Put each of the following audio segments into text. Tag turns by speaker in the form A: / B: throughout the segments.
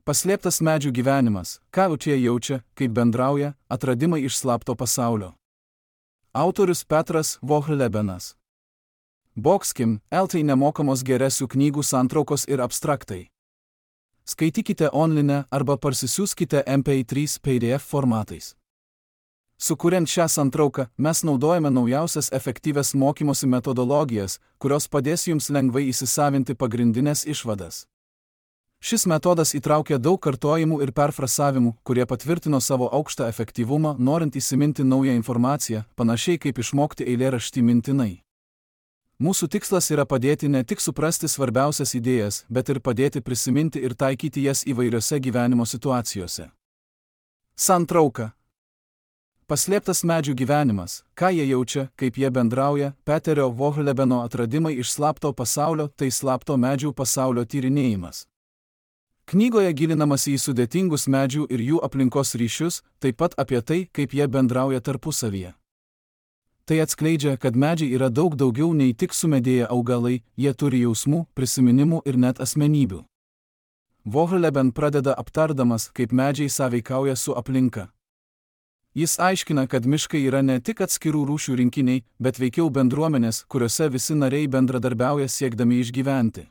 A: Paslėptas medžių gyvenimas, ką čia jaučia, kaip bendrauja, atradimai iš slapto pasaulio. Autorius Petras Vohlebenas. Bokskim, LT nemokamos geresių knygų santraukos ir abstraktai. Skaitykite online arba parsisiųskite MP3 PDF formatais. Sukuriant šią santrauką, mes naudojame naujausias efektyvias mokymosi metodologijas, kurios padės jums lengvai įsisavinti pagrindinės išvadas. Šis metodas įtraukia daug kartojimų ir perfrasavimų, kurie patvirtino savo aukštą efektyvumą, norint įsiminti naują informaciją, panašiai kaip išmokti eilėraštį mintinai. Mūsų tikslas yra padėti ne tik suprasti svarbiausias idėjas, bet ir padėti prisiminti ir taikyti jas įvairiose gyvenimo situacijose. Santrauka. Paslėptas medžių gyvenimas, ką jie jaučia, kaip jie bendrauja, Peterio Vohlebeno atradimai iš slapto pasaulio, tai slapto medžių pasaulio tyrinėjimas. Knygoje gilinamasi į sudėtingus medžių ir jų aplinkos ryšius, taip pat apie tai, kaip jie bendrauja tarpusavyje. Tai atskleidžia, kad medžiai yra daug daugiau nei tik sumedėję augalai, jie turi jausmų, prisiminimų ir net asmenybių. Vohleben pradeda aptardamas, kaip medžiai sąveikauja su aplinka. Jis aiškina, kad miškai yra ne tik atskirų rūšių rinkiniai, bet veikiau bendruomenės, kuriuose visi nariai bendradarbiauja siekdami išgyventi.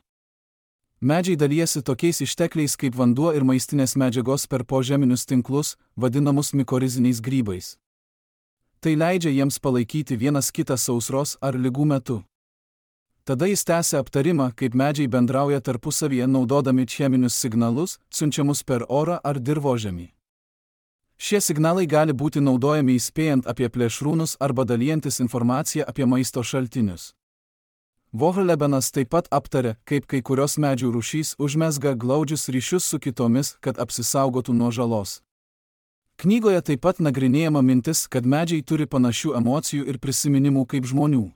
A: Medžiai dalijasi tokiais ištekliais kaip vanduo ir maistinės medžiagos per požeminius tinklus, vadinamus mikoriziniais grybais. Tai leidžia jiems palaikyti vienas kitą sausros ar ligų metu. Tada jis tęsia aptarimą, kaip medžiai bendrauja tarpusavyje naudodami cheminius signalus, siunčiamus per orą ar dirvožemį. Šie signalai gali būti naudojami įspėjant apie plėšrūnus arba dalijantis informaciją apie maisto šaltinius. Vohlebenas taip pat aptarė, kaip kai kurios medžių rūšys užmezga glaudžius ryšius su kitomis, kad apsisaugotų nuo žalos. Knygoje taip pat nagrinėjama mintis, kad medžiai turi panašių emocijų ir prisiminimų kaip žmonių.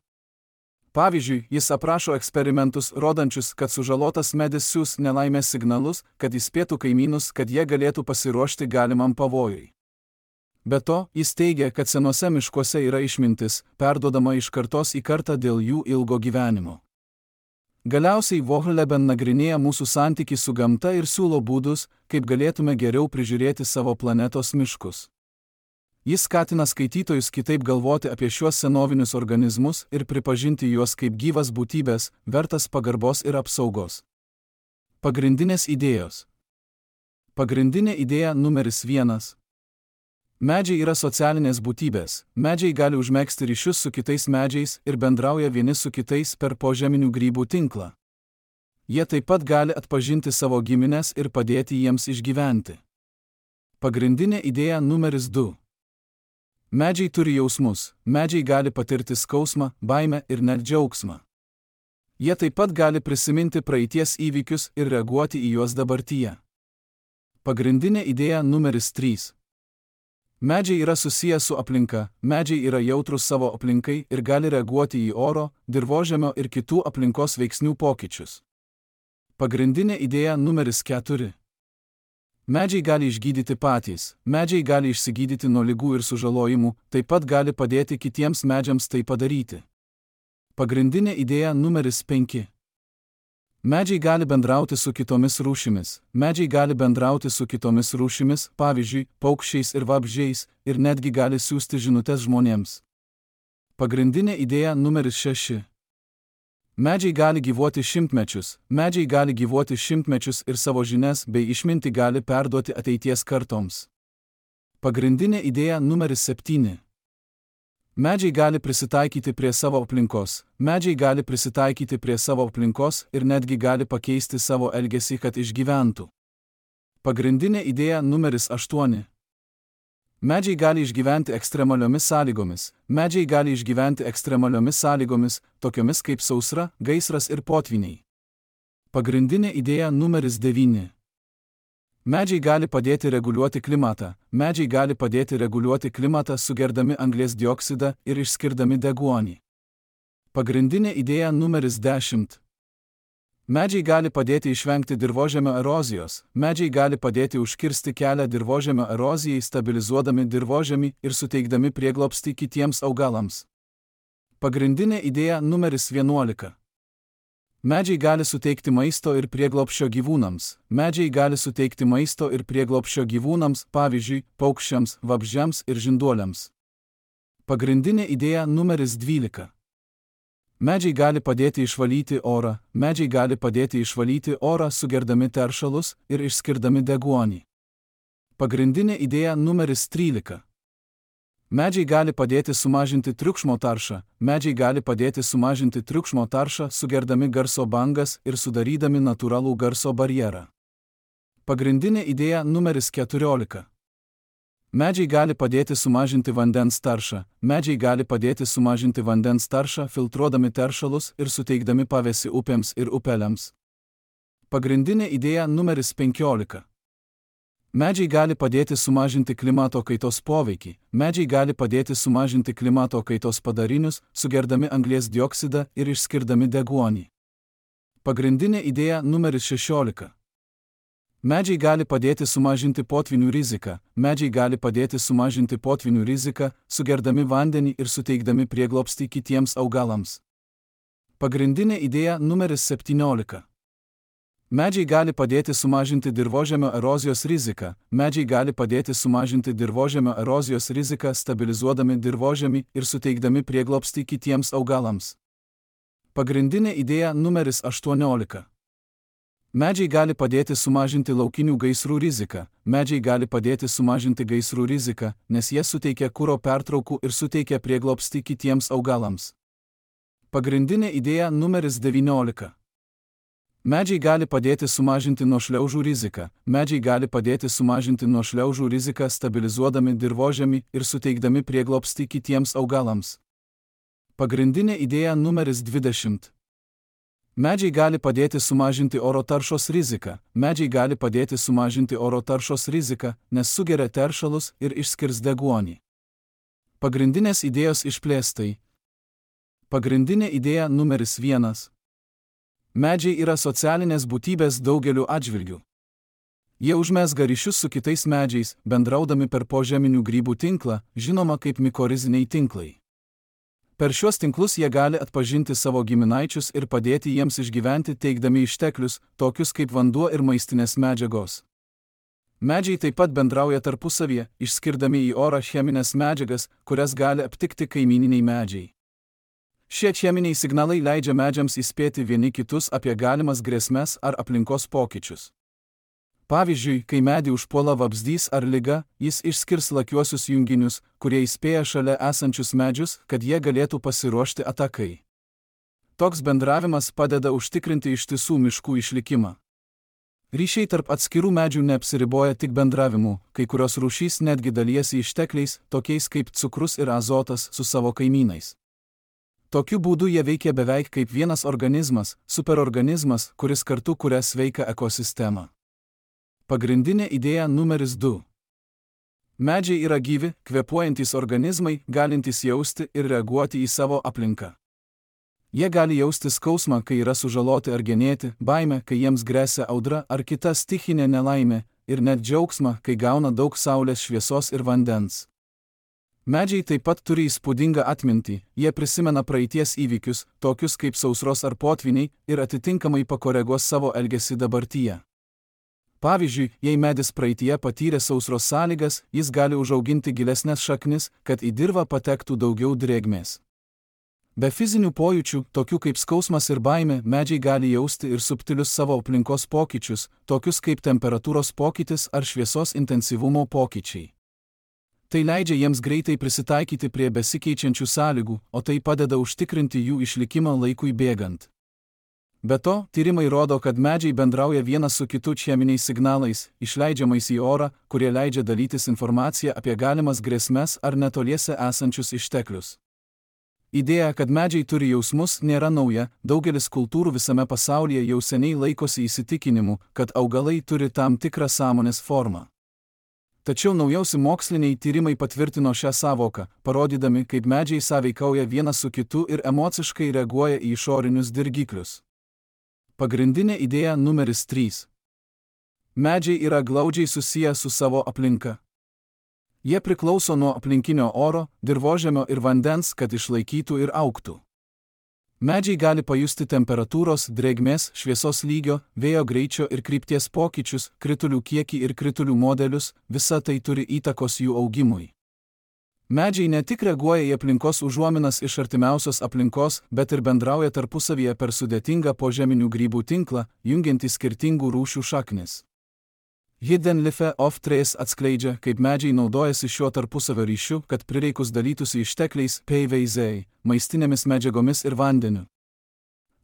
A: Pavyzdžiui, jis aprašo eksperimentus, rodančius, kad sužalotas medis siųs nelaimės signalus, kad įspėtų kaimynus, kad jie galėtų pasiruošti galimam pavojui. Be to, jis teigia, kad senuose miškuose yra išmintis, perduodama iš kartos į kartą dėl jų ilgo gyvenimo. Galiausiai Vohleben nagrinėja mūsų santykį su gamta ir siūlo būdus, kaip galėtume geriau prižiūrėti savo planetos miškus. Jis skatina skaitytojus kitaip galvoti apie šiuos senovinius organizmus ir pripažinti juos kaip gyvas būtybės, vertas pagarbos ir apsaugos. Pagrindinės idėjos. Pagrindinė idėja numeris 1. Medžiai yra socialinės būtybės, medžiai gali užmegzti ryšius su kitais medžiais ir bendrauja vieni su kitais per požeminių grybų tinklą. Jie taip pat gali atpažinti savo gimines ir padėti jiems išgyventi. Pagrindinė idėja numeris 2. Medžiai turi jausmus, medžiai gali patirti skausmą, baimę ir net džiaugsmą. Jie taip pat gali prisiminti praeities įvykius ir reaguoti į juos dabartyje. Pagrindinė idėja numeris 3. Medžiai yra susiję su aplinka, medžiai yra jautrus savo aplinkai ir gali reaguoti į oro, dirvožemio ir kitų aplinkos veiksnių pokyčius. Pagrindinė idėja numeris 4. Medžiai gali išgydyti patys, medžiai gali išsigydyti nuo ligų ir sužalojimų, taip pat gali padėti kitiems medžiams tai padaryti. Pagrindinė idėja numeris 5. Medžiai gali bendrauti su kitomis rūšimis, medžiai gali bendrauti su kitomis rūšimis, pavyzdžiui, paukščiais ir vabzdžiais, ir netgi gali siųsti žinutes žmonėms. Pagrindinė idėja numeris 6. Medžiai gali gyvuoti šimtmečius, medžiai gali gyvuoti šimtmečius ir savo žinias bei išmintį gali perduoti ateities kartoms. Pagrindinė idėja numeris 7. Medžiai gali prisitaikyti prie savo aplinkos, medžiai gali prisitaikyti prie savo aplinkos ir netgi gali pakeisti savo elgesį, kad išgyventų. Pagrindinė idėja numeris 8. Medžiai gali išgyventi ekstremaliomis sąlygomis, medžiai gali išgyventi ekstremaliomis sąlygomis, tokiomis kaip sausra, gaisras ir potviniai. Pagrindinė idėja numeris 9. Medžiai gali padėti reguliuoti klimatą, medžiai gali padėti reguliuoti klimatą sugerdami anglies dioksidą ir išskirdami deguonį. Pagrindinė idėja numeris 10. Medžiai gali padėti išvengti dirvožemio erozijos, medžiai gali padėti užkirsti kelią dirvožemio erozijai stabilizuodami dirvožemį ir suteikdami prieglobstį kitiems augalams. Pagrindinė idėja numeris 11. Medžiai gali suteikti maisto ir prieglobsčio gyvūnams. Medžiai gali suteikti maisto ir prieglobsčio gyvūnams, pavyzdžiui, paukščiams, vabzdžiams ir žinduoliams. Pagrindinė idėja numeris 12. Medžiai gali padėti išvalyti orą. Medžiai gali padėti išvalyti orą sugerdami teršalus ir išskirdami deguonį. Pagrindinė idėja numeris 13. Medžiai gali padėti sumažinti triukšmo taršą. Medžiai gali padėti sumažinti triukšmo taršą sugerdami garso bangas ir sudarydami natūralų garso barjerą. Pagrindinė idėja numeris 14. Medžiai gali padėti sumažinti vandens taršą. Medžiai gali padėti sumažinti vandens taršą filtruodami teršalus ir suteikdami pavėsį upėms ir upeliams. Pagrindinė idėja numeris 15. Medžiai gali padėti sumažinti klimato kaitos poveikį. Medžiai gali padėti sumažinti klimato kaitos padarinius, sugerdami anglies dioksidą ir išskirdami deguonį. Pagrindinė idėja numeris 16. Medžiai gali padėti sumažinti potvynių riziką. Medžiai gali padėti sumažinti potvynių riziką, sugerdami vandenį ir suteikdami prieglobstį kitiems augalams. Pagrindinė idėja numeris 17. Medžiai gali padėti sumažinti dirvožemio erozijos riziką. Medžiai gali padėti sumažinti dirvožemio erozijos riziką, stabilizuodami dirvožemį ir suteikdami prieglobstį kitiems augalams. Pagrindinė idėja numeris 18. Medžiai gali padėti sumažinti laukinių gaisrų riziką. Medžiai gali padėti sumažinti gaisrų riziką, nes jie suteikia kuro pertraukų ir suteikia prieglobstį kitiems augalams. Pagrindinė idėja numeris 19. Medžiai gali padėti sumažinti nuo šliaužų riziką. Medžiai gali padėti sumažinti nuo šliaužų riziką, stabilizuodami dirvožemį ir suteikdami prieglobstį kitiems augalams. Pagrindinė idėja numeris 20. Medžiai gali padėti sumažinti oro taršos riziką. Medžiai gali padėti sumažinti oro taršos riziką, nes sugeria teršalus ir išskirs deguonį. Pagrindinės idėjos išplėstai. Pagrindinė idėja numeris 1. Medžiai yra socialinės būtybės daugeliu atžvilgių. Jie užmezga ryšius su kitais medžiais, bendraudami per požeminių grybų tinklą, žinoma kaip mikoriziniai tinklai. Per šiuos tinklus jie gali atpažinti savo giminaičius ir padėti jiems išgyventi, teikdami išteklius, tokius kaip vanduo ir maistinės medžiagos. Medžiai taip pat bendrauja tarpusavyje, išskirdami į orą cheminės medžiagas, kurias gali aptikti kaimyniniai medžiai. Šie cheminiai signalai leidžia medžiams įspėti vieni kitus apie galimas grėsmes ar aplinkos pokyčius. Pavyzdžiui, kai medį užpuola vabzdys ar liga, jis išskirs lakiuosius junginius, kurie įspėja šalia esančius medžius, kad jie galėtų pasiruošti atakai. Toks bendravimas padeda užtikrinti ištisų miškų išlikimą. Ryšiai tarp atskirų medžių neapsiriboja tik bendravimu, kai kurios rūšys netgi dalijasi ištekliais, tokiais kaip cukrus ir azotas, su savo kaimynais. Tokiu būdu jie veikia beveik kaip vienas organizmas, superorganizmas, kuris kartu kuria sveiką ekosistemą. Pagrindinė idėja numeris 2. Medžiai yra gyvi, kvėpuojantys organizmai, galintys jausti ir reaguoti į savo aplinką. Jie gali jausti skausmą, kai yra sužaloti ar genėti, baimę, kai jiems gresia audra ar kita stichinė nelaimė, ir net džiaugsmą, kai gauna daug saulės šviesos ir vandens. Medžiai taip pat turi įspūdingą atmintį, jie prisimena praeities įvykius, tokius kaip sausros ar potvyniai, ir atitinkamai pakoreguos savo elgesį dabartyje. Pavyzdžiui, jei medis praeityje patyrė sausros sąlygas, jis gali užauginti gilesnes šaknis, kad į dirvą patektų daugiau drėgmės. Be fizinių pojūčių, tokių kaip skausmas ir baimė, medžiai gali jausti ir subtilius savo aplinkos pokyčius, tokius kaip temperatūros pokytis ar šviesos intensyvumo pokyčiai. Tai leidžia jiems greitai prisitaikyti prie besikeičiančių sąlygų, o tai padeda užtikrinti jų išlikimą laikui bėgant. Be to, tyrimai rodo, kad medžiai bendrauja vienas su kitu cheminiais signalais, išleidžiamais į orą, kurie leidžia dalytis informaciją apie galimas grėsmes ar netoliese esančius išteklius. Idėja, kad medžiai turi jausmus, nėra nauja, daugelis kultūrų visame pasaulyje jau seniai laikosi įsitikinimu, kad augalai turi tam tikrą sąmonės formą. Tačiau naujausi moksliniai tyrimai patvirtino šią sąvoką, parodydami, kaip medžiai sąveikauja vienas su kitu ir emociškai reaguoja į išorinius dirgiklius. Pagrindinė idėja numeris 3. Medžiai yra glaudžiai susiję su savo aplinka. Jie priklauso nuo aplinkinio oro, dirvožemio ir vandens, kad išlaikytų ir augtų. Medžiai gali pajusti temperatūros, drėgmės, šviesos lygio, vėjo greičio ir krypties pokyčius, kritulių kiekį ir kritulių modelius, visa tai turi įtakos jų augimui. Medžiai ne tik reaguoja į aplinkos užuominas iš artimiausios aplinkos, bet ir bendrauja tarpusavyje per sudėtingą požeminių grybų tinklą, jungiantį skirtingų rūšių šaknis. Hidden Life of Trees atskleidžia, kaip medžiai naudojasi šiuo tarpusavio ryšiu, kad prireikus dalytųsi ištekliais, PVZ, maistinėmis medžiagomis ir vandeniu.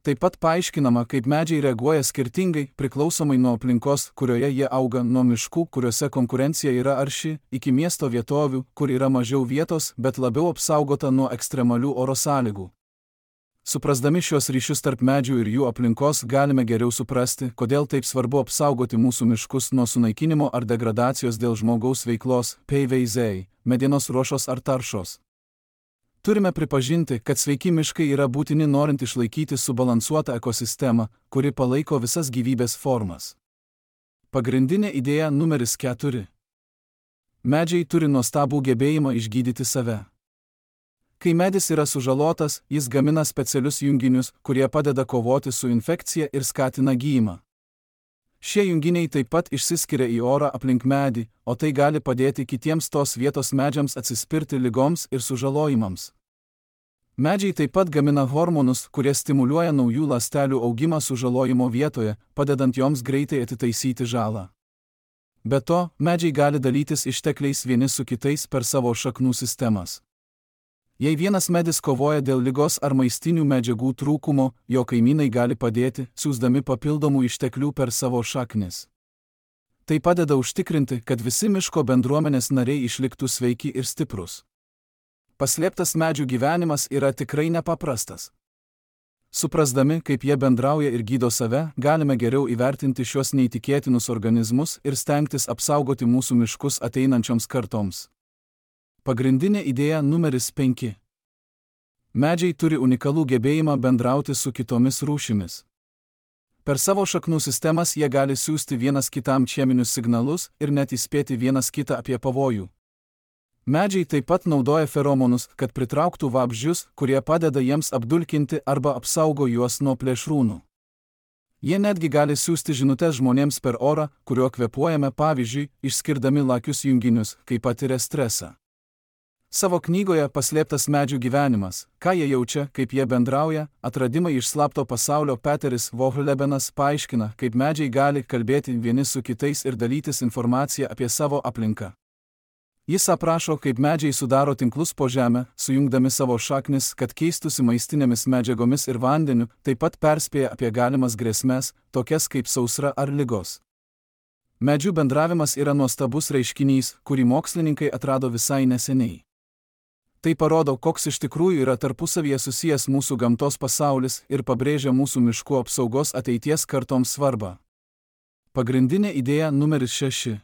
A: Taip pat paaiškinama, kaip medžiai reaguoja skirtingai, priklausomai nuo aplinkos, kurioje jie auga, nuo miškų, kuriuose konkurencija yra arši, iki miesto vietovių, kur yra mažiau vietos, bet labiau apsaugota nuo ekstremalių oro sąlygų. Suprasdami šios ryšius tarp medžių ir jų aplinkos, galime geriau suprasti, kodėl taip svarbu apsaugoti mūsų miškus nuo sunaikinimo ar degradacijos dėl žmogaus veiklos, PVZ, medienos ruošos ar taršos. Turime pripažinti, kad sveiki miškai yra būtini norint išlaikyti subalansuotą ekosistemą, kuri palaiko visas gyvybės formas. Pagrindinė idėja numeris 4. Medžiai turi nuostabų gebėjimą išgydyti save. Kai medis yra sužalotas, jis gamina specialius junginius, kurie padeda kovoti su infekcija ir skatina gijimą. Šie junginiai taip pat išsiskiria į orą aplink medį, o tai gali padėti kitiems tos vietos medžiams atsispirti ligoms ir sužalojimams. Medžiai taip pat gamina hormonus, kurie stimuliuoja naujų ląstelių augimą sužalojimo vietoje, padedant joms greitai atitaisyti žalą. Be to, medžiai gali dalytis ištekliais vieni su kitais per savo šaknų sistemas. Jei vienas medis kovoja dėl ligos ar maistinių medžiagų trūkumo, jo kaimynai gali padėti, siųsdami papildomų išteklių per savo šaknis. Tai padeda užtikrinti, kad visi miško bendruomenės nariai išliktų sveiki ir stiprus. Paslėptas medžių gyvenimas yra tikrai nepaprastas. Suprasdami, kaip jie bendrauja ir gydo save, galime geriau įvertinti šios neįtikėtinus organizmus ir stengtis apsaugoti mūsų miškus ateinančioms kartoms. Pagrindinė idėja numeris 5. Medžiai turi unikalų gebėjimą bendrauti su kitomis rūšimis. Per savo šaknų sistemas jie gali siųsti vienas kitam cheminius signalus ir net įspėti vienas kitą apie pavojų. Medžiai taip pat naudoja feromonus, kad pritrauktų vabzdžius, kurie padeda jiems apdulkinti arba apsaugo juos nuo plėšrūnų. Jie netgi gali siųsti žinutes žmonėms per orą, kuriuo kvėpuojame, pavyzdžiui, išskirdami lakius junginius, kai patiria stresą. Savo knygoje Paslėptas medžių gyvenimas, ką jie jaučia, kaip jie bendrauja, atradimai iš slapto pasaulio Peteris Vohlebenas paaiškina, kaip medžiai gali kalbėti vieni su kitais ir dalytis informaciją apie savo aplinką. Jis aprašo, kaip medžiai sudaro tinklus po žemę, sujungdami savo šaknis, kad keistųsi maistinėmis medžiagomis ir vandeniu, taip pat perspėja apie galimas grėsmes, tokias kaip sausra ar ligos. Medžių bendravimas yra nuostabus reiškinys, kurį mokslininkai atrado visai neseniai. Tai parodo, koks iš tikrųjų yra tarpusavyje susijęs mūsų gamtos pasaulis ir pabrėžia mūsų miškų apsaugos ateities kartoms svarbą. Pagrindinė idėja numeris 6.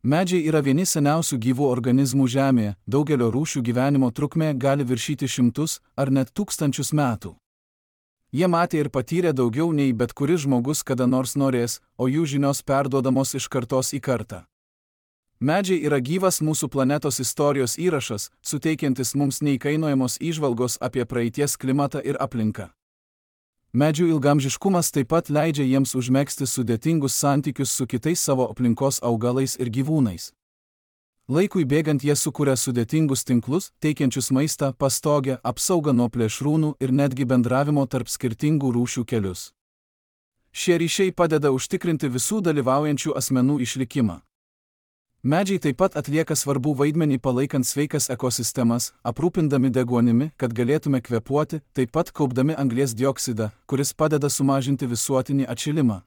A: Medžiai yra vieni seniausių gyvų organizmų Žemėje, daugelio rūšių gyvenimo trukmė gali viršyti 100 ar net 1000 metų. Jie matė ir patyrė daugiau nei bet kuris žmogus kada nors norės, o jų žinios perduodamos iš kartos į kartą. Medžiai yra gyvas mūsų planetos istorijos įrašas, suteikiantis mums neįkainojamos įžvalgos apie praeities klimatą ir aplinką. Medžių ilgamžiškumas taip pat leidžia jiems užmegzti sudėtingus santykius su kitais savo aplinkos augalais ir gyvūnais. Laikui bėgant jie sukuria sudėtingus tinklus, teikiančius maistą, pastogę, apsaugą nuo plėšrūnų ir netgi bendravimo tarp skirtingų rūšių kelius. Šie ryšiai padeda užtikrinti visų dalyvaujančių asmenų išlikimą. Medžiai taip pat atlieka svarbų vaidmenį palaikant sveikas ekosistemas, aprūpindami deguonimi, kad galėtume kvėpuoti, taip pat kaupdami anglies dioksidą, kuris padeda sumažinti visuotinį atšilimą.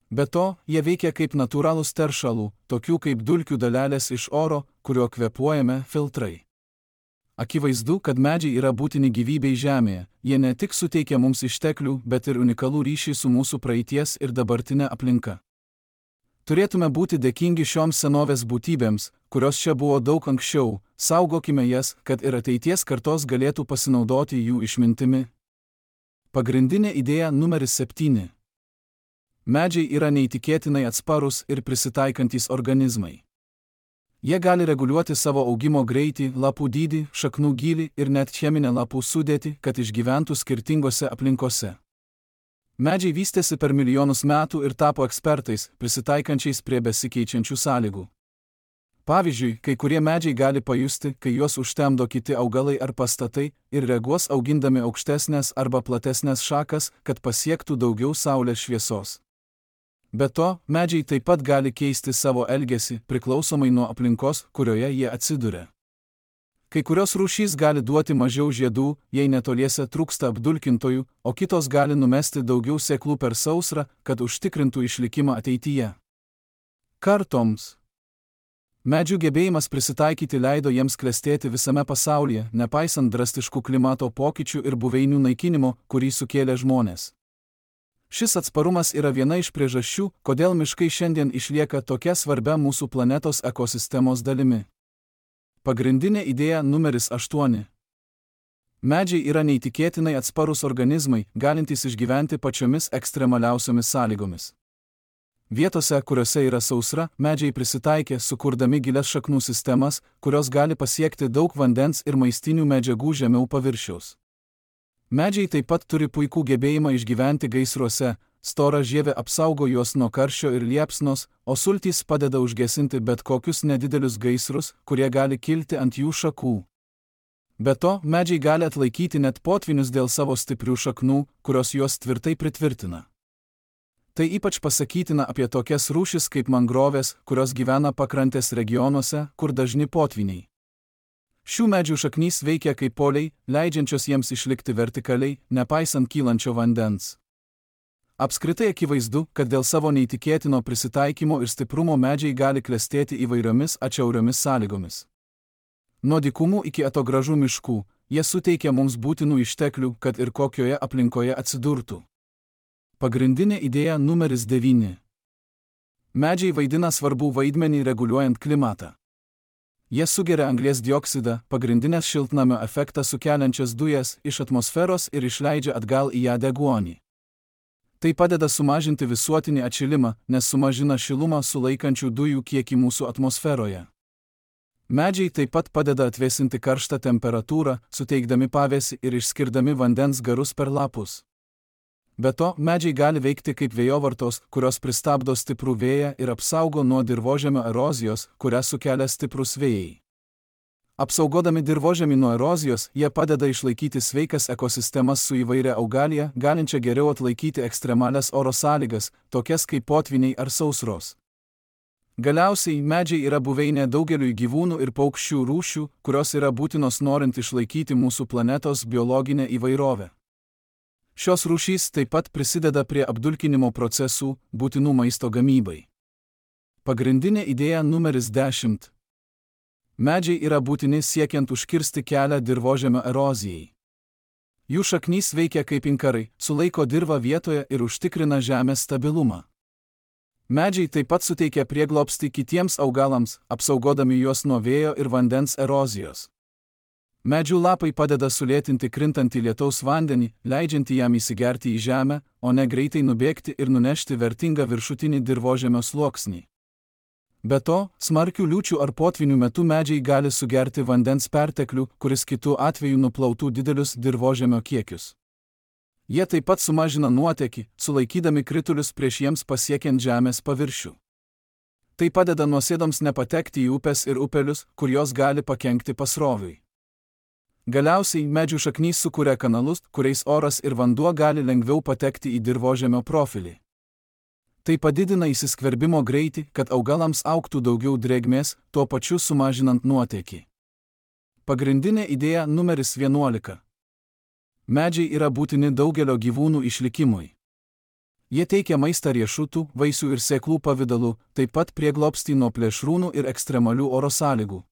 A: Be to, jie veikia kaip natūralūs teršalų, tokių kaip dulkių dalelės iš oro, kuriuo kvėpuojame, filtrai. Akivaizdu, kad medžiai yra būtini gyvybei Žemėje, jie ne tik suteikia mums išteklių, bet ir unikalų ryšį su mūsų praeities ir dabartinė aplinka. Turėtume būti dėkingi šioms senovės būtybėms, kurios čia buvo daug anksčiau, saugokime jas, kad ir ateities kartos galėtų pasinaudoti jų išmintimi. Pagrindinė idėja numeris 7. Medžiai yra neįtikėtinai atsparūs ir prisitaikantys organizmai. Jie gali reguliuoti savo augimo greitį, lapų dydį, šaknų gylį ir net cheminę lapų sudėtį, kad išgyventų skirtingose aplinkose. Medžiai vystėsi per milijonus metų ir tapo ekspertais, prisitaikančiais prie besikeičiančių sąlygų. Pavyzdžiui, kai kurie medžiai gali pajusti, kai juos užtemdo kiti augalai ar pastatai, ir reaguos augindami aukštesnės arba platesnės šakas, kad pasiektų daugiau saulės šviesos. Be to, medžiai taip pat gali keisti savo elgesį, priklausomai nuo aplinkos, kurioje jie atsiduria. Kai kurios rūšys gali duoti mažiau žiedų, jei netoliese trūksta apdulkintojų, o kitos gali numesti daugiau sėklų per sausrą, kad užtikrintų išlikimą ateityje. Kartoms. Medžių gebėjimas prisitaikyti leido jiems klestėti visame pasaulyje, nepaisant drastiškų klimato pokyčių ir buveinių naikinimo, kurį sukėlė žmonės. Šis atsparumas yra viena iš priežasčių, kodėl miškai šiandien išlieka tokia svarbia mūsų planetos ekosistemos dalimi. Pagrindinė idėja numeris 8. Medžiai yra neįtikėtinai atsparūs organizmai, galintys išgyventi pačiomis ekstremaliausiomis sąlygomis. Vietose, kuriuose yra sausra, medžiai prisitaikė, sukurdami gilias šaknų sistemas, kurios gali pasiekti daug vandens ir maistinių medžiagų žemiau paviršiaus. Medžiai taip pat turi puikų gebėjimą išgyventi gaisruose, stora žievė apsaugo juos nuo karščio ir liepsnos, o sultys padeda užgesinti bet kokius nedidelius gaisrus, kurie gali kilti ant jų šakų. Be to, medžiai gali atlaikyti net potvynius dėl savo stiprių šaknų, kurios juos tvirtai pritvirtina. Tai ypač pasakytina apie tokias rūšis kaip mangrovės, kurios gyvena pakrantės regionuose, kur dažni potvyniai. Šių medžių šaknys veikia kaip poliai, leidžiančios jiems išlikti vertikaliai, nepaisant kylančio vandens. Apskritai akivaizdu, kad dėl savo neįtikėtino prisitaikymo ir stiprumo medžiai gali klestėti įvairiomis atšiauriomis sąlygomis. Nuo dykumų iki atogražų miškų, jie suteikia mums būtinų išteklių, kad ir kokioje aplinkoje atsidurtų. Pagrindinė idėja numeris 9. Medžiai vaidina svarbų vaidmenį reguliuojant klimatą. Jie sugeria anglies dioksidą, pagrindinės šiltnamio efektą sukeliančias dujas, iš atmosferos ir išleidžia atgal į ją deguonį. Tai padeda sumažinti visuotinį atšilimą, nes sumažina šilumą sulaikančių dujų kiekį mūsų atmosferoje. Medžiai taip pat padeda atvėsinti karštą temperatūrą, suteikdami pavėsį ir išskirdami vandens garus per lapus. Be to, medžiai gali veikti kaip vėjovartos, kurios pristabdo stiprų vėją ir apsaugo nuo dirvožemio erozijos, kurią sukelia stiprūs vėjai. Apsaugodami dirvožemį nuo erozijos, jie padeda išlaikyti sveikas ekosistemas su įvairia augalija, galinčia geriau atlaikyti ekstremalias oro sąlygas, tokias kaip potvyniai ar sausros. Galiausiai, medžiai yra buveinė daugeliui gyvūnų ir paukščių rūšių, kurios yra būtinos norint išlaikyti mūsų planetos biologinę įvairovę. Šios rūšys taip pat prisideda prie apdulkinimo procesų, būtinų maisto gamybai. Pagrindinė idėja numeris 10. Medžiai yra būtini siekiant užkirsti kelią dirvožemio erozijai. Jų šaknys veikia kaip inkarai, sulaiko dirvą vietoje ir užtikrina žemės stabilumą. Medžiai taip pat suteikia prieglobstį kitiems augalams, apsaugodami juos nuo vėjo ir vandens erozijos. Medžių lapai padeda sulėtinti krintantį lietaus vandenį, leidžiantį jam įsigerti į žemę, o ne greitai nubėgti ir nunešti vertingą viršutinį dirvožemio sluoksnį. Be to, smarkių liūčių ar potvynių metu medžiai gali sugerti vandens perteklių, kuris kitu atveju nuplautų didelius dirvožemio kiekius. Jie taip pat sumažina nuotėkį, sulaikydami kritulius prieš jiems pasiekiant žemės paviršių. Tai padeda nuosėdoms nepatekti į upes ir upelius, kur jos gali pakenkti pasroviui. Galiausiai, medžių šaknys sukuria kanalus, kuriais oras ir vanduo gali lengviau patekti į dirvožemio profilį. Tai padidina įsiskverbimo greitį, kad augalams augtų daugiau drėgmės, tuo pačiu sumažinant nuotėkį. Pagrindinė idėja numeris 11. Medžiai yra būtini daugelio gyvūnų išlikimui. Jie teikia maistą riešutų, vaisių ir sėklų pavidalu, taip pat prieglobstį nuo plėšrūnų ir ekstremalių oro sąlygų.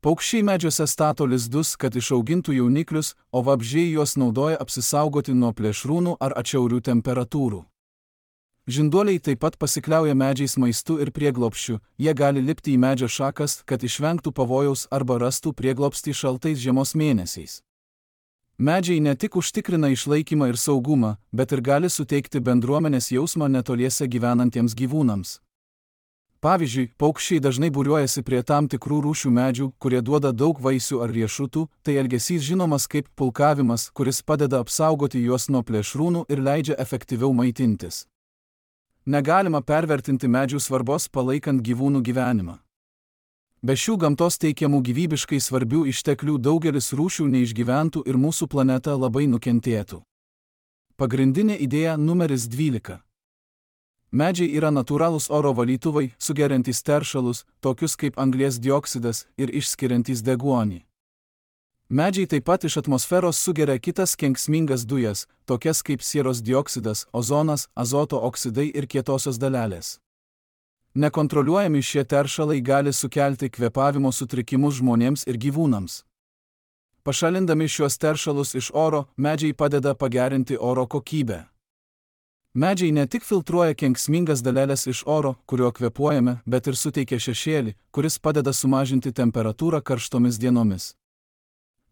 A: Paukščiai medžiuose stato lizdus, kad išaugintų jauniklius, o vabzdžiai juos naudoja apsisaugoti nuo plėšrūnų ar atšiaurių temperatūrų. Žinduoliai taip pat pasikliauja medžiais maistu ir prieglobsčiu, jie gali lipti į medžio šakas, kad išvengtų pavojaus arba rastų prieglobstį šaltais žiemos mėnesiais. Medžiai ne tik užtikrina išlaikymą ir saugumą, bet ir gali suteikti bendruomenės jausmą netoliese gyvenantiems gyvūnams. Pavyzdžiui, paukščiai dažnai būriuojasi prie tam tikrų rūšių medžių, kurie duoda daug vaisių ar riešutų, tai elgesys žinomas kaip pulkavimas, kuris padeda apsaugoti juos nuo plėšrūnų ir leidžia efektyviau maitintis. Negalima pervertinti medžių svarbos palaikant gyvūnų gyvenimą. Be šių gamtos teikiamų gyvybiškai svarbių išteklių daugelis rūšių neišgyventų ir mūsų planeta labai nukentėtų. Pagrindinė idėja numeris 12. Medžiai yra natūralūs oro valytuvai, sugeriantys teršalus, tokius kaip anglies dioksidas ir išskiriantys deguonį. Medžiai taip pat iš atmosferos sugeria kitas kenksmingas dujas, tokias kaip sieros dioksidas, ozonas, azoto oksidai ir kietosios dalelės. Nekontroliuojami šie teršalai gali sukelti kvėpavimo sutrikimus žmonėms ir gyvūnams. Pašalindami šiuos teršalus iš oro, medžiai padeda pagerinti oro kokybę. Medžiai ne tik filtruoja kenksmingas daleles iš oro, kuriuo kvėpuojame, bet ir suteikia šešėlį, kuris padeda sumažinti temperatūrą karštomis dienomis.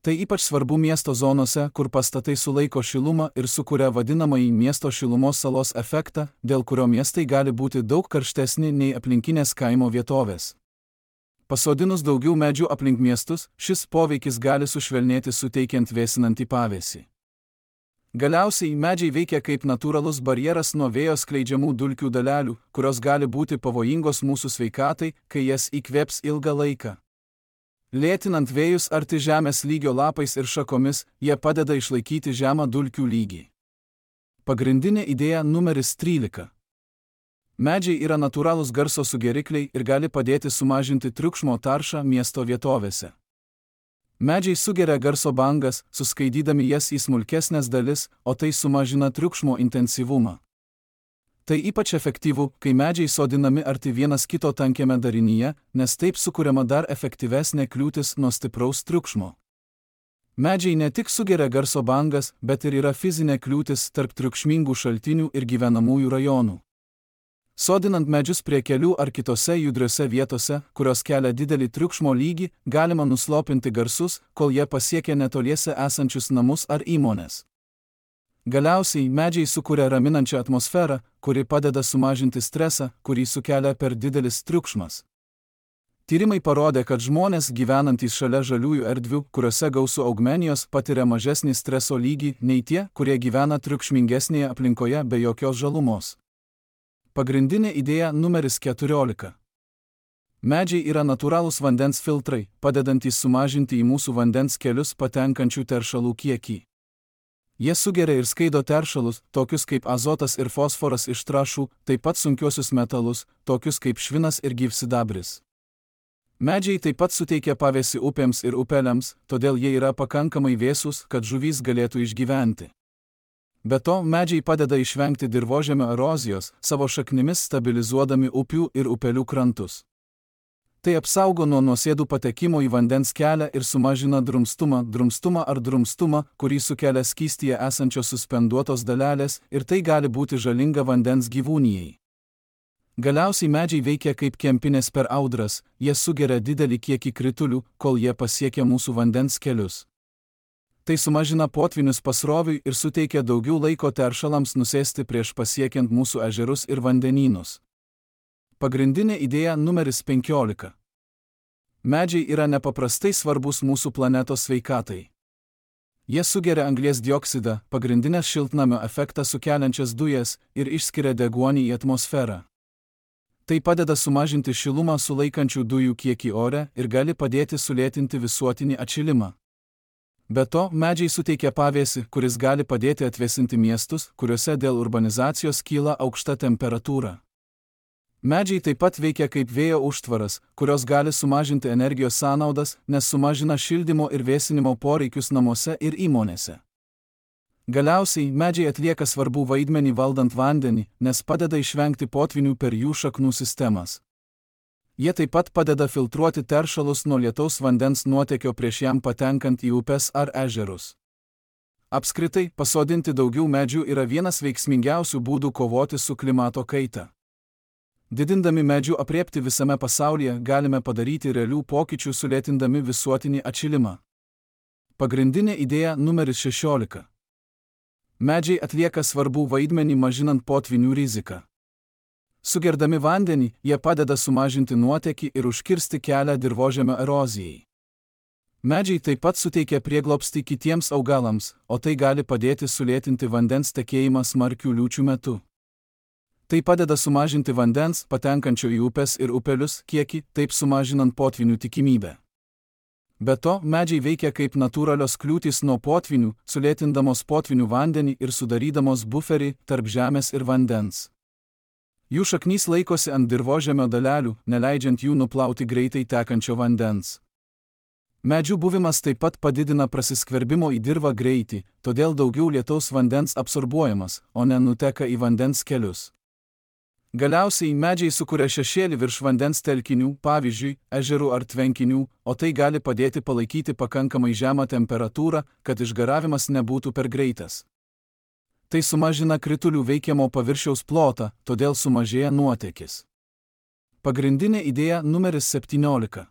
A: Tai ypač svarbu miesto zonose, kur pastatai sulaiko šilumą ir sukuria vadinamąjį miesto šilumos salos efektą, dėl kurio miestai gali būti daug karštesni nei aplinkinės kaimo vietovės. Pasodinus daugiau medžių aplink miestus, šis poveikis gali sušvelnėti suteikiant vėsinantį pavėsį. Galiausiai medžiai veikia kaip natūralus barjeras nuo vėjo skleidžiamų dulkių dalelių, kurios gali būti pavojingos mūsų sveikatai, kai jas įkvėps ilgą laiką. Lėtinant vėjus arti žemės lygio lapais ir šakomis, jie padeda išlaikyti žemą dulkių lygį. Pagrindinė idėja numeris 13. Medžiai yra natūralūs garso sugerikliai ir gali padėti sumažinti triukšmo taršą miesto vietovėse. Medžiai sugeria garso bangas, suskaidydami jas į smulkesnės dalis, o tai sumažina triukšmo intensyvumą. Tai ypač efektyvu, kai medžiai sodinami arti vienas kito tankiame darinyje, nes taip sukuriama dar efektyvesnė kliūtis nuo stipraus triukšmo. Medžiai ne tik sugeria garso bangas, bet ir yra fizinė kliūtis tarp triukšmingų šaltinių ir gyvenamųjų rajonų. Sodinant medžius prie kelių ar kitose judriose vietose, kurios kelia didelį triukšmo lygį, galima nuslopinti garsus, kol jie pasiekia netoliese esančius namus ar įmones. Galiausiai medžiai sukuria raminančią atmosferą, kuri padeda sumažinti stresą, kurį sukelia per didelis triukšmas. Tyrimai parodė, kad žmonės gyvenantys šalia žaliųjų erdvių, kuriuose gausu augmenijos, patiria mažesnį streso lygį nei tie, kurie gyvena triukšmingesnėje aplinkoje be jokios žalumos. Pagrindinė idėja numeris 14. Medžiai yra natūralūs vandens filtrai, padedantys sumažinti į mūsų vandens kelius patenkančių teršalų kiekį. Jie sugeria ir skaido teršalus, tokius kaip azotas ir fosforas iš trąšų, taip pat sunkiuosius metalus, tokius kaip švinas ir gyvsidabris. Medžiai taip pat suteikia pavėsį upėms ir upeliams, todėl jie yra pakankamai vėsūs, kad žuvys galėtų išgyventi. Be to, medžiai padeda išvengti dirvožemio erozijos, savo šaknimis stabilizuodami upių ir upelių krantus. Tai apsaugo nuo nuosėdų patekimo į vandens kelią ir sumažina drumstumą, kurį sukelia skystyje esančios suspenduotos dalelės, ir tai gali būti žalinga vandens gyvūnijai. Galiausiai medžiai veikia kaip kempinės per audras, jie sugeria didelį kiekį kritulių, kol jie pasiekia mūsų vandens kelius. Tai sumažina potvinius pasroviui ir suteikia daugiau laiko teršalams nusėsti prieš pasiekiant mūsų ežerus ir vandenynus. Pagrindinė idėja numeris 15. Medžiai yra nepaprastai svarbus mūsų planetos sveikatai. Jie sugeria anglies dioksidą, pagrindinės šiltnamio efektą sukeliančias dujas, ir išskiria deguonį į atmosferą. Tai padeda sumažinti šilumą sulaikančių dujų kiekį ore ir gali padėti sulėtinti visuotinį atšilimą. Be to, medžiai suteikia pavėsį, kuris gali padėti atvėsinti miestus, kuriuose dėl urbanizacijos kyla aukšta temperatūra. Medžiai taip pat veikia kaip vėjo užtvaras, kurios gali sumažinti energijos sąnaudas, nes sumažina šildymo ir vėsinimo poreikius namuose ir įmonėse. Galiausiai, medžiai atlieka svarbų vaidmenį valdant vandenį, nes padeda išvengti potvinių per jų šaknų sistemas. Jie taip pat padeda filtruoti teršalus nuo lietaus vandens nuotėkio prieš jam patenkant į upes ar ežerus. Apskritai, pasodinti daugiau medžių yra vienas veiksmingiausių būdų kovoti su klimato kaita. Didindami medžių aprėptį visame pasaulyje galime padaryti realių pokyčių sulėtindami visuotinį atšilimą. Pagrindinė idėja numeris 16. Medžiai atlieka svarbų vaidmenį mažinant potvinių riziką. Sugerdami vandenį, jie padeda sumažinti nuotėkį ir užkirsti kelią dirvožemio erozijai. Medžiai taip pat suteikia prieglobstį kitiems augalams, o tai gali padėti sulėtinti vandens tekėjimą smarkių liūčių metu. Tai padeda sumažinti vandens, patenkančio į upes ir upelius, kiekį, taip sumažinant potvynių tikimybę. Be to, medžiai veikia kaip natūralios kliūtys nuo potvynių, sulėtindamos potvynių vandenį ir sudarydamos buferį tarp žemės ir vandens. Jų šaknys laikosi ant dirvožemio dalelių, neleidžiant jų nuplauti greitai tekančio vandens. Medžių buvimas taip pat padidina prasiskverbimo į dirvą greitį, todėl daugiau lietaus vandens absorbuojamas, o ne nuteka į vandens kelius. Galiausiai medžiai sukuria šešėlį virš vandens telkinių, pavyzdžiui, ežerų ar tvenkinių, o tai gali padėti palaikyti pakankamai žemą temperatūrą, kad išgaravimas nebūtų per greitas. Tai sumažina kritulių veikiamo paviršiaus plotą, todėl sumažėja nuotėkis. Pagrindinė idėja numeris 17.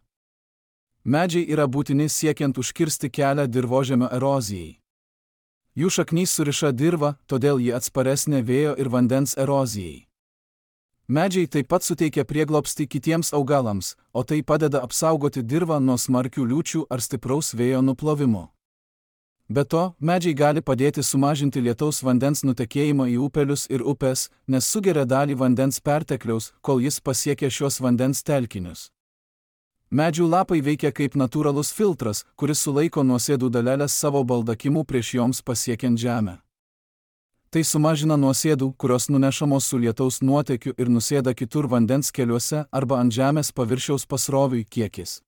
A: Medžiai yra būtini siekiant užkirsti kelią dirvožemio erozijai. Jų šaknys suriša dirvą, todėl ji atsparesnė vėjo ir vandens erozijai. Medžiai taip pat suteikia prieglobstį kitiems augalams, o tai padeda apsaugoti dirvą nuo smarkių liūčių ar stipraus vėjo nuplovimo. Be to, medžiai gali padėti sumažinti lietaus vandens nutekėjimą į upelius ir upes, nes sugeria dalį vandens pertekliaus, kol jis pasiekia šios vandens telkinius. Medžių lapai veikia kaip natūralus filtras, kuris sulaiko nuosėdų daleles savo baldakimu prieš joms pasiekiant žemę. Tai sumažina nuosėdų, kurios nunešamos su lietaus nuotėkiu ir nusėda kitur vandens keliuose arba ant žemės paviršiaus pasroviui kiekis.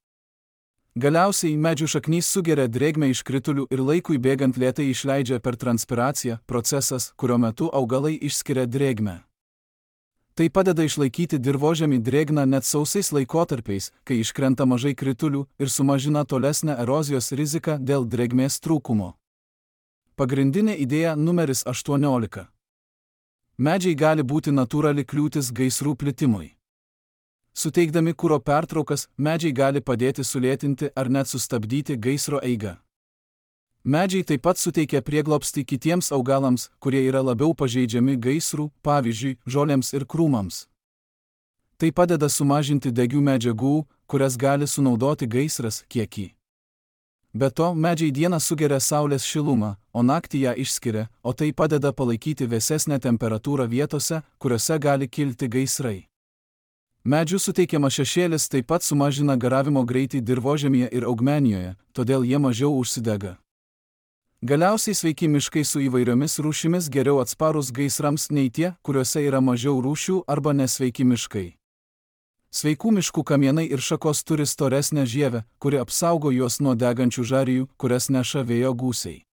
A: Galiausiai medžių šaknys sugeria drėgmę iš kritulių ir laikui bėgant lėtai išleidžia per transpiraciją, procesas, kurio metu augalai išskiria drėgmę. Tai padeda išlaikyti dirvožemį drėgną net sausais laikotarpiais, kai iškrenta mažai kritulių ir sumažina tolesnę erozijos riziką dėl drėgmės trūkumo. Pagrindinė idėja numeris 18. Medžiai gali būti natūrali kliūtis gaisrų plitimui. Suteikdami kuro pertraukas, medžiai gali padėti sulėtinti ar net sustabdyti gaisro eigą. Medžiai taip pat suteikia prieglobstį kitiems augalams, kurie yra labiau pažeidžiami gaisrų, pavyzdžiui, žolėms ir krūmams. Tai padeda sumažinti degių medžiagų, kurias gali sunaudoti gaisras, kiekį. Be to, medžiai dieną sugeria saulės šilumą, o naktį ją išskiria, o tai padeda palaikyti vėsesnę temperatūrą vietose, kuriuose gali kilti gaisrai. Medžių suteikiamas šešėlis taip pat sumažina garavimo greitį dirvožemyje ir augmenijoje, todėl jie mažiau užsidega. Galiausiai sveiki miškai su įvairiomis rūšimis geriau atsparūs gaisrams nei tie, kuriuose yra mažiau rūšių arba nesveiki miškai. Sveikų miškų kamienai ir šakos turi storesnę žievę, kuri apsaugo juos nuo degančių žarijų, kurias neša vėjo gūsiai.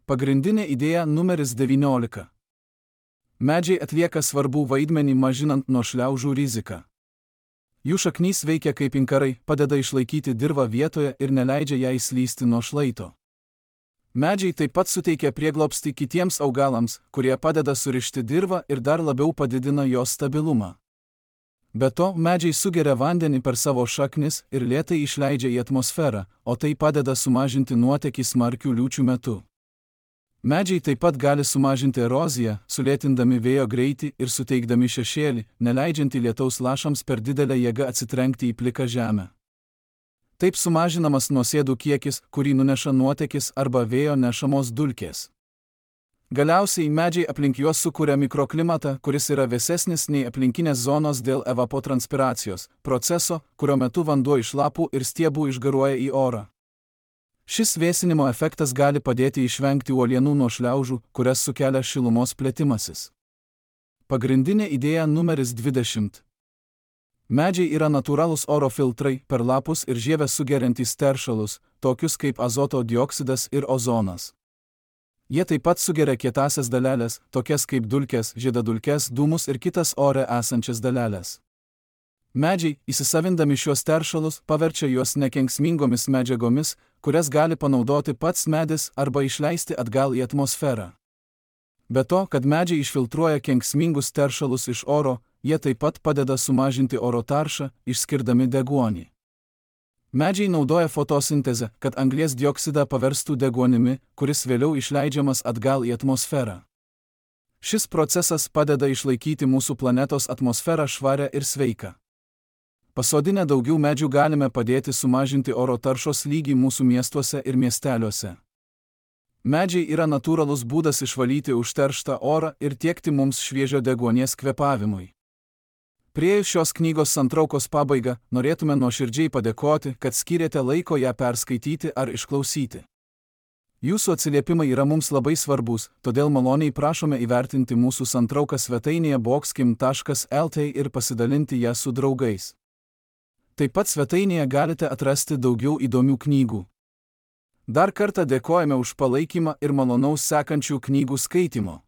A: Pagrindinė idėja numeris 19. Medžiai atlieka svarbų vaidmenį mažinant nuo šliaužų riziką. Jų šaknys veikia kaip inkarai, padeda išlaikyti dirvą vietoje ir neleidžia jai slysti nuo šlaito. Medžiai taip pat suteikia prieglobstį kitiems augalams, kurie padeda surišti dirvą ir dar labiau padidina jos stabilumą. Be to, medžiai sugeria vandenį per savo šaknis ir lėtai išleidžia į atmosferą, o tai padeda sumažinti nuotėkį smarkių liūčių metu. Medžiai taip pat gali sumažinti eroziją, sulėtindami vėjo greitį ir suteikdami šešėlį, neleidžiantį lietaus lašams per didelę jėgą atsitrenkti į pliką žemę. Taip sumažinamas nuosėdų kiekis, kurį nuneša nuotėkis arba vėjo nešamos dulkės. Galiausiai medžiai aplink juos sukuria mikroklimatą, kuris yra vėsesnis nei aplinkinės zonos dėl evapotranspiracijos, proceso, kurio metu vanduo iš lapų ir stiebų išgaruoja į orą. Šis vėsinimo efektas gali padėti išvengti uolienų nuo šliaužų, kurias sukelia šilumos plėtimasis. Pagrindinė idėja numeris 20. Medžiai yra natūralūs oro filtrai, per lapus ir žievę sugeriantys teršalus, tokius kaip azoto dioksidas ir ozonas. Jie taip pat sugeria kietąsias daleles, tokias kaip dulkes, žiedadulkes, dūmus ir kitas ore esančias daleles. Medžiai, įsisavindami šios teršalus, paverčia juos nekenksmingomis medžiagomis, kurias gali panaudoti pats medis arba išleisti atgal į atmosferą. Be to, kad medžiai išfiltruoja kenksmingus teršalus iš oro, jie taip pat padeda sumažinti oro taršą, išskirdami deguonį. Medžiai naudoja fotosintezę, kad anglies dioksidą paverstų deguonimi, kuris vėliau išleidžiamas atgal į atmosferą. Šis procesas padeda išlaikyti mūsų planetos atmosferą švarią ir sveiką. Pasodinę daugiau medžių galime padėti sumažinti oro taršos lygį mūsų miestuose ir miesteliuose. Medžiai yra natūralus būdas išvalyti užterštą orą ir tiekti mums šviežio deguonies kvėpavimui. Priėjus šios knygos santraukos pabaigą, norėtume nuoširdžiai padėkoti, kad skyrėte laiko ją perskaityti ar išklausyti. Jūsų atsiliepimai yra mums labai svarbus, todėl maloniai prašome įvertinti mūsų santrauką svetainėje boxkim.lt ir pasidalinti ją su draugais. Taip pat svetainėje galite atrasti daugiau įdomių knygų. Dar kartą dėkojame už palaikymą ir malonaus sekančių knygų skaitimo.